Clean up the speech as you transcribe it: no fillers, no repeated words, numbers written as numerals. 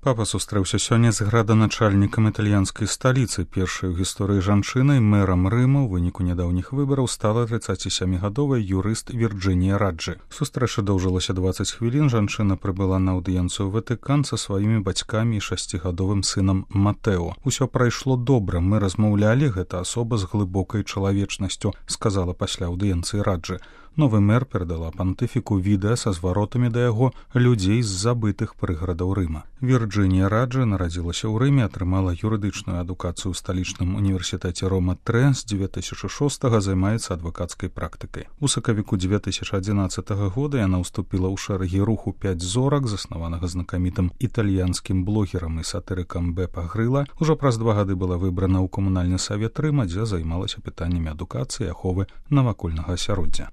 Папа сустрэўся сёння з граданачальнікам італьянскай сталіцы, першай у гісторыі жанчынай, мэрам Рыма ў выніку нядаўніх выбараў стала 37гадовая юрыст Вірджынія Раджы. Сустрэча доўжылася 20 хвілін, жанчына прыбыла на аўдыенцыю ў Ватыкан са сваімі бацькамі і 6гадовым сынам Матэо. Усё прайшло добра, мы размаўлялі, гэта асоба з глыбокай чалавечнасцю, сказала пасля аўдыенцыі Раджы. Новы мэр перадала пантыфіку відэа са зваротамі да яго людзей з забытых прыгарадаў Рыма. Вірджынія Раджы нарадзілася ў Рыме, атрымала юрыдычную адукацыю ў сталічным універсітэце Рома-3, з 2006 займаецца адвакацкай практыкай. У сакавіку 2011 года яна ўступіла ў шэрагі руху 5 зорак, заснаванага знакамітым італьянскім блогерам і сатырыкам Бепа Грыла. Ужо праз 2 гады была выбрана ў камунальны савет Рыма, дзе займалася пытаннямі адукацыі і аховы навакольнага асяроддзя.